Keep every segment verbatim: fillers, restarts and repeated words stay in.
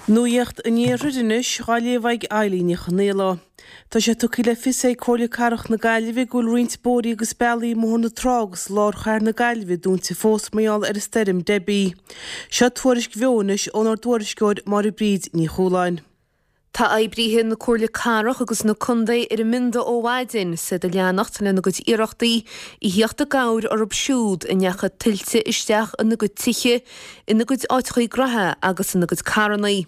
Nuacht an Iarthair anois á léamh ag Eilín Ní Chonaola. Tá sé tugtha le fios ag Comhairle Cathrach na Gaillimhe go bhfuil roinnt bóithrí agus bealaí i mBóthar na Trá agus lár chathair na Gaillimhe dúnta fós mar gheall ar an stoirm Debbie. Seo tuairisc bheo anois ónár dtuairisceoir Máire Bríd Ní Chualáin. Tá oibrithe na Comhairle Cathrach agus na Contae ar an mbionda ó mhaidin is iad ag leanacht lena gcuid iarrachtaí a theacht i gcabhair orthu siúd a ndeachaigh tuilte isteach ina gcuid tithe, ina gcuid áiteachaí gnoithe agus ina gcuid carrannaí.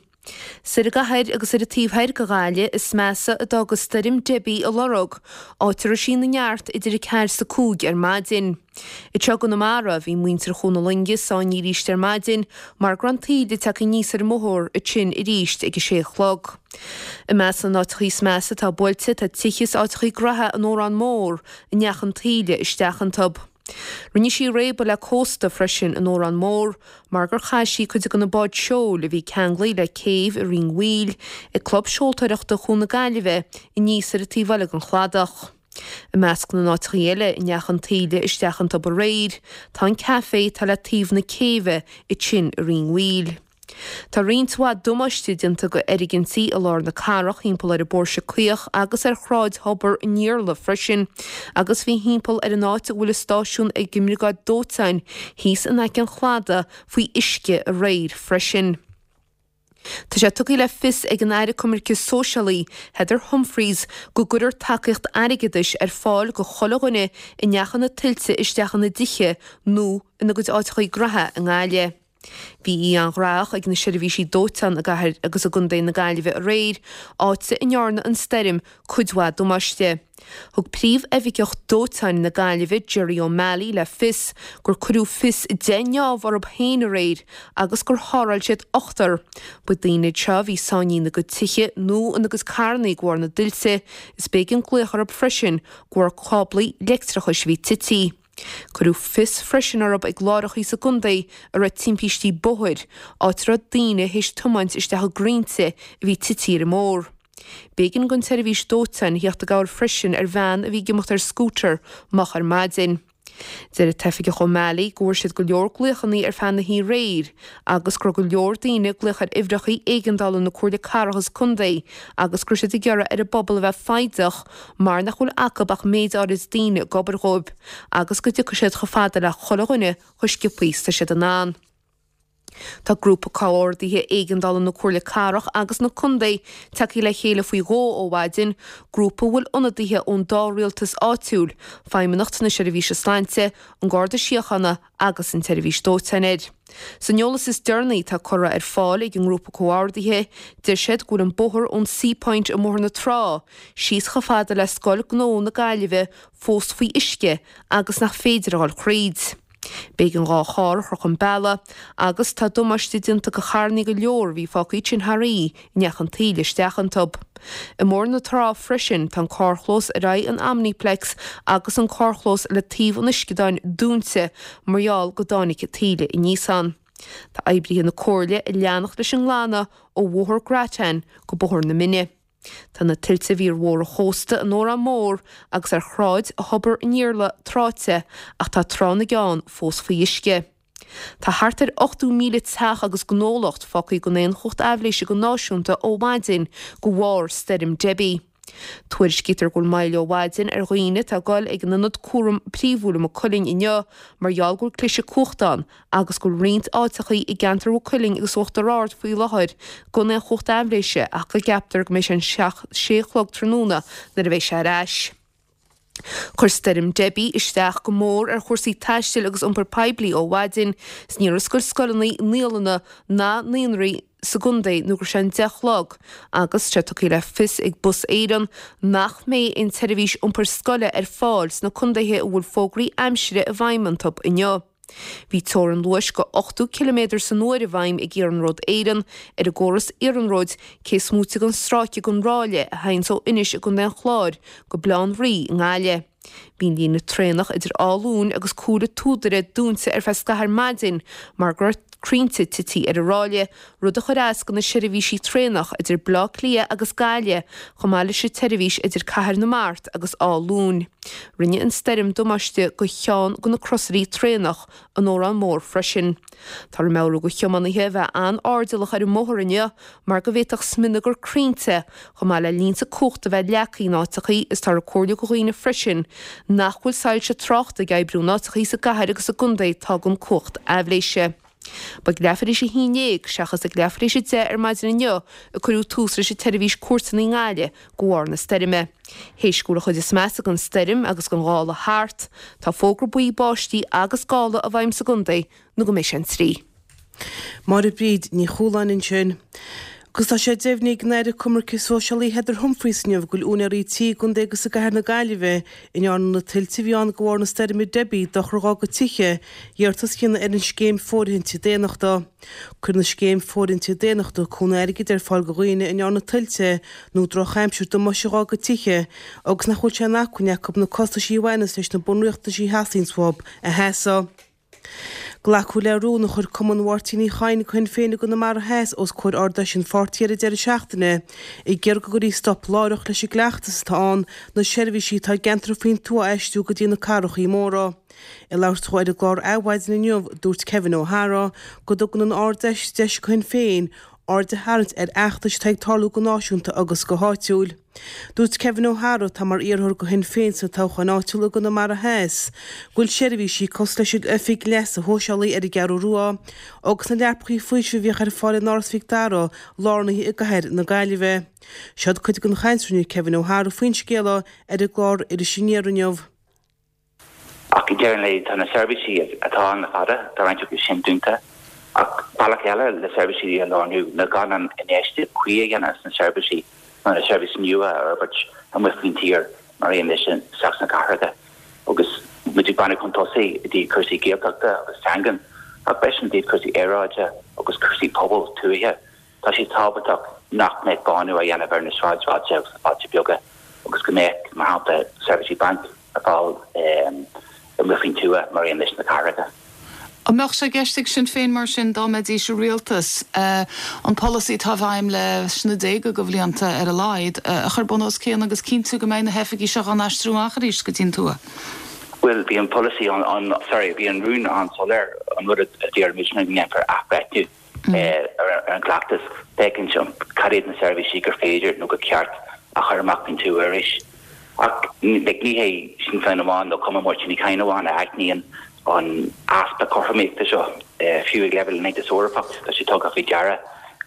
Soir i gcathair agus ar an taobh thoir de Ghaillimh is measa a d'fhág stoirm Debbie a lorg, áit a raibh sí ina neart idir a ceathair is a cúig ar maidin. Anseo i gConamara bhí muintir Chuan na Loinge sáinnithe arís ar maidin mar go raibh an taoille tagtha aníos ar an mbóthar ansin arís ag a sé a chlog. I measc na n-áiteachaí is measa atá buailte tá tithe is áiteachaí gnoithe an Órán Mór a ndeachaigh an taoille isteach iontu. Rinne sí réabadh le cósta freisin in Órán Mór mar gur chaith sí cuid de na báid seoil a bhí ceanglaithe le céibh i Rinn Mhaoil ag Club Seoltóireachta Chuan na Gaillimhe aníos ar an taobh eile den chladach. I measc na n-áiteachaí eile a ndeachaigh an taoille isteach iontu aréir tá an café atá le taobh na céibhe ansin i Rinn Mhaoil. Tá roinnt mhaith damáiste déanta go fhoirgintí i lár na cathrach thimpeall ar an bPóirse Caoch agus ar Shráid Thobar an Iarla freisin, agus bhí thimpeall ar an áit a bhfuil an stáisiún ag an mBriogáid Dóiteáin thíos in aice an chladaigh faoi uisce aréir freisin. Tá sé tugtha le fios ag an Aire Coimirce Sóisialaí, Heather Humphreys, go gcuirfear tacaíocht airgeadais ar fáil go chuile dhuine a ndeachaigh na tuilte isteach ina dtithe nó ina gcuid áiteachaí gnoithe i nGaillimh. Bhí oíche an-ghnóthach ag na seirbhísí dóiteáin i gcathair agus i gContae na Gaillimhe aréir, áit a ndearna an stoirm cuid mhaith damáiste. Thug príomhoifigeach dóiteáin na Gaillimhe Jerry O'Malley le fios gur cuireadh fios deich ngeábh orthu féin aréir agus gur tharrtháil siad ochtar. Ba daoine iad seo a bhí sáinnithe ina gcuid tithe nó ina gcuid carrannaí de bharr na dtuilte, is b'éigean glaoch orthu freisin de bharr cáblaí leictreachais a bhí tití. Cuireadh fios freisin orthu ag láithreachaí sa gcontae a raibh timpistí bóthair, áit a raibh daoine théis tiomáint isteach i gcrainnte a bhí tití ar an mbóthar. B'éigean don tseirbhís dóiteáin theacht i gcabhair freisin ar bhean a bhí ag imeacht ar scútar moch ar maidin. Deir an tOifigeach O'Malley go bhfuair siad go leor glaochannaí ar feadh na hoíche aréir agus go raibh go leor daoine ag glaoch ar uimhreachaí éigeandála na Comhairle Cathrach is Contae agus go raibh siad ag iarraidh ar an bpobal a bheith foighdeach mar nach bhfuil acu ach méid áirid daoine ag obair dhóibh agus go dtiocfaidh siad chomh fada le chuile dhuine chomh sciobtha is tá siad in ann. Tá grúpa comhordaithe éigeandála na Comhairle Cathrach agus na Contae tagtha le chéile faoi dhó ó mhaidin, grúpa a bhfuil ionadaithe ón dá rialtas áitiúil, Feidhmeannacht na Seirbhíse Sláinte, an Garda Síochána agus an tSeirbhís Dóiteáin air. San eolas is deireanaí atá curtha ar fáil ag an ngrúpa comhordaithe, deir siad go bhfuil an bóthar ón Seapoint i mBóthar na Trá síos chomh fada le Scoil Gnó na Gaillimhe fós faoi uisce agus nach féidir a dhul thríd. B'éigean dhá charr a chur chun bealaigh agus tá damáiste déanta go charrannaí go leor a bhí fágtha ansin thar oíche a ndeachaigh an taoille isteach iontu. I mBóthar na Trá freisin tá an carrchlós ar aghaidh an Omniplex agus an carrchlós le taobh an uisceadáin dúnta mar gheall go dtáinig taoille aníos ann. Tá oibrithe na Comhairle ag leanacht leis an nglanadh ó Bhóthar Grattan go Bóthar na Mine. Tá na tuilte a bhí ar Bhóthar an Chósta in Órán Mór agus ar Shráid Thobar an Iarla tráite ach tá Trá na gCeann fós faoi uisce. Tá thart ar ochtó míle teach agus gnólacht fágtha gan aon chumhacht aibhléise go náisiúnta ó mhaidin de bharr stoirm Debbie. Tuairiscítear go bhfuil moill ó mhaidin ar dhaoine atá ag dul ag an ionad cúram príomhúil i Maigh Cuilinn inniu mar gheall go bhfuil cliseadh cumhachta ann agus go bhfuil roinnt áiteachaí i gceantar Mhaigh Cuilinn agus Uachtar Ard faoi láthair gan aon chumhacht aibhléise ach go gceaptar go mbeidh sé an sé a chlog tráthnóna nuair a bheidh sé ar ais. Chuir stoirm Debbie isteach go mór ar chúrsaí taistil agus iompar poiblí ó mhaidin is níor oscail scoileanna, naíolanna ná naíonraí sa gcontae nó go raibh sé an deich a chlog agus tá tugtha le fios ag Bus Éireann nach mbeidh aon tseirbhís iompair scoile ar fáil sna contaetha a bhfuil fógraí aimsire i bhfeidhm iontu inniu. Bhí teorainn luais go ochtó ciliméadar san uair i bhfeidhm ag Iarnród Éireann ar an gcóras iarnróid cé is móite den stráice den ráille a théanns ó Inis i gContae an Chláir go Baile Átha an Rí i nGaillimh. Bhí an líne traenach idir Áth Luain agus Cúil an tSúdaire dúnta ar feadh scathaimh ar maidin mar go raibh crainnte tite ar an ráille, rud a chuir as do na seirbhísí traenach idir Baile Átha Cliath agus Gaillimh, chomh maith leis an tseirbhís idir Cathair na Mart agus Áth Luain. Rinne an stoirm damáiste do cheann de na crosairí traenach an Órán Mór freisin. Táthar ag meabhrú do thiománaithe a bheith an-airdeallach ar an mbóthar inniu mar go bhféadfadh smionagar crainnte chomh maith le línte cumhachta a bheith leagtha in áiteachaí is táthar ag comhairliú do dhaoine freisin nach bhfuil soilse tráchta ag oibriú in áiteachaí sa gcathair agus sa gcontae atá gan cumhacht aibhléise. Ba ag leathuair tar éis a haon déag seachas ag leathuair tar éis a deich ar maidin inniu a cuireadh tús leis an tseirbhís cuairteanna i nGaillimh de bharr na stoirme. Théis go bhfuil an chuid is measa den stoirm agus den ghála thart, tá fógra buí báistí agus gála i bhfeidhm sa gcontae nó go mbeidh sé an trí. Máire Bríd Ní Chualáin ansin. Agus tá sé deimhnithe ag an Aire Coimirce Sóisialaí Heather Humphreys inniu go bhfuil úinéirí tí i gcontae agus i gcathair na Gaillimhe a ndearna na tuilte a bhí ann de bharr na stoirme Debbie dochar dá gcuid tithe iarratas a dhéanamh ar an scéim fóirithinte daonnachta. Cuireann an scéim fóirithinte daonnachta cúnamh airgid ar fáil do dhaoine a ndearna tuilte nó drochaimsir damáiste dá gcuid tithe agus nach bhfuil sé in acmhainn acu na costaisí a bhaineas leis na bunriachtaisí a theastaíonns uathu a sheasamh. Glacadh le rún a chuir Cumann Mháirtín Uí Chadhain do Shinn Féin i gConamara Theas os comhair Ard-Fheis an pháirtí ar an deireadh seachtaine ag iarraidh go gcuirfí stop láithreach leis an gcleachtas atá ann na seirbhísí atá i gceantair faoin tuath a aistriú go dtí na cathrachaí móra. Ag labhairt dó ar an gclár Adhmhaidin inniu, dúirt Kevin O'Hara go dtugann an Ard-Fheis deis do Shinn Féin aird a tharraingt ar fheachtais atá ag tarlú go náisiúnta agus go háitiúil. Dúirt Kevin O'Hara, atá mar iarrthóir do Shinn Féin sna toghcháin áitiúla i gConamara Theas, go bhfuil seirbhísí cosúil leis an Oifig Leasa Shóisialaigh ar an gCeathrú Rua agus na leapachaí faoisimh a bhíodh ar fáil in Áras Mhic Dara lárnaithe i gcathair na Gaillimhe. Seod cuid den chaint a rinne Kevin O'Hara faoin scéal ar an gclár Iris Aniar inniu. Ach ag deireadh an lae, tá na seirbhísí atá ann le fada, tá roinnt acu sin dúnta. Ach bealach eile le seirbhísí a lárnú ná gan an infheistíocht cuí a dhéanamh sna seirbhísí nó na seirbhísí nua a fhorbairt amuigh faoin tír mar aon leis isteach sna cathracha. Agus muid ag breathnú chun tosaigh i dtaobh cúrsaí Gaeltachta agus teangan, ach freisin i dtaobh cúrsaí aeráide agus cúrsaí pobail tuaithe, tá sé tábhachtach nach mbeadh bánú á dhéanamh ar na sráidbhailte agus na bailte beaga agus go mbeadh, mar shampla, seirbhísí bainc ar fáil amuigh faoin tuath mar aon leis na cathracha. An mbeadh sé i gceist ag Sinn Féin mar sin, dá mbeidís i rialtas, an polasaí atá i bhfeidhm leis na déaga de bhlianta ar a laghad, a chur bun os cionn agus cinntiú go mbeidh na hoifigí seo á n-aistriú amach arís go dtí an tuath? Bhuel, bhí an polasaí an, sorry, bhí an rún an-soiléir, an rud a d'iarr muid ná go ndéanfar athbhreithniú ar an gcleachtas, féachaint cad iad na seirbhísí gur féidir nó gur ceart a chur amach faoin tuath arís. Ach like ní hé Sinn Féin amháin nó Cumann Mháirtín Uí Chadhain amháin a aithníonn an easpa cothromaíochta seo. Fiú ag leibhéal an Aontais Eorpach tá sé tugtha faoi deara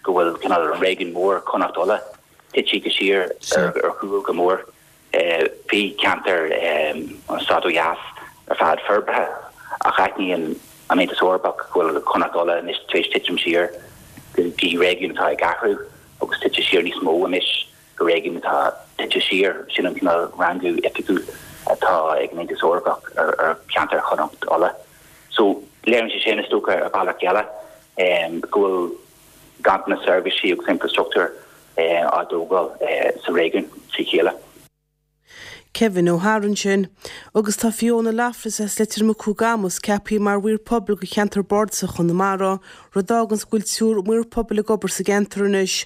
go bhfuil cineál an réigiún mór Chonnacht Uladh tite siar ar chúl go mór. Bhí ceantar an stáit ó dheas ar fad forbartha ach aithníonn an Aontas Eorpach go bhfuil Connacht Uladh anois tar éis titim siar go dtí réigiún atá ag athrú agus tite siar níos mó anois go réigiún atá tite siar, sin an cineál rangú oifigiúil atá ag an Aontas Eorpach ar cheantar Chonnacht Uladh. So léiríonn sé sin, is dócha, ar bhealach eile go bhfuil ganntanas seirbhísí agus infreastruchtúir á dtógáil sa réigiún trí chéile. Kevin O'Hara ansin. Agus tá Fiona Loughlin as Leitir Mucú i gCamus ceaptha mar mhaor pobail do cheantar bardasach Chonamara, rud a fháganns go bhfuil triúr maor pobail ag obair sa gceantar anois.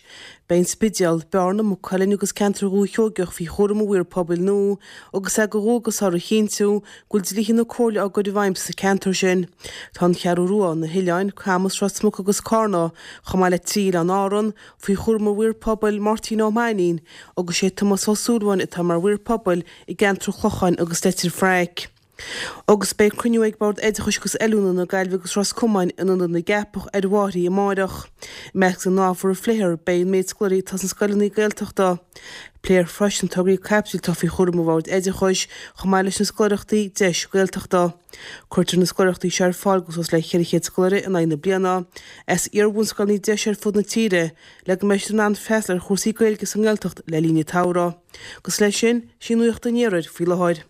Beidh an Spidéal, Bearna, Maigh Cuilinn agus ceantar Dhúiche Sheoigeach faoi chúram an mhaoir pobail nua agus é de dhualgas orthu a chinntiú go bhfuil dlíthe na Comhairle á gcur i bhfeidhm sna ceantair sin. Tá an Cheathrú Rua, na hOileáin, Camus, Ros Muc agus Cárna, chomh maith le trí oileán Árann, faoi chúram an mhaoir pobail, Máirtín Ó Mainnín, agus sé Tomás Ó Súilleabháin atá mar mhaor pobail i gceantar an Chlocháin agus Leitir Fraic. Agus beidh cruinniú ag Bord Oideachais agus Oiliúna na Gaillimhe agus Ros Comáin in Ionad na gCeapach ar an amárach. I measc na n-ábhar a phléifear beidh an méid scoláirí atá sna scoileanna Gaeltachta. Pléifear freisin tograí caipitil atá faoi chúram an Bhoird Oideachais chomh maith leis na scoláireachtaí Deis Gaeltachta. Cuirtear na scoláireachtaí seo ar fáil go suas le ceithre chéad scoláire in aghaidh na bliana as iar-bhunscoileanna Deis ar fud na tíre le go mbeidh siad in ann freastal ar chúrsaí Gaeilge sa nGaeltacht le linn an tsamhraidh. Agus leis sin, sí nuacht an iarthair faoi láthair.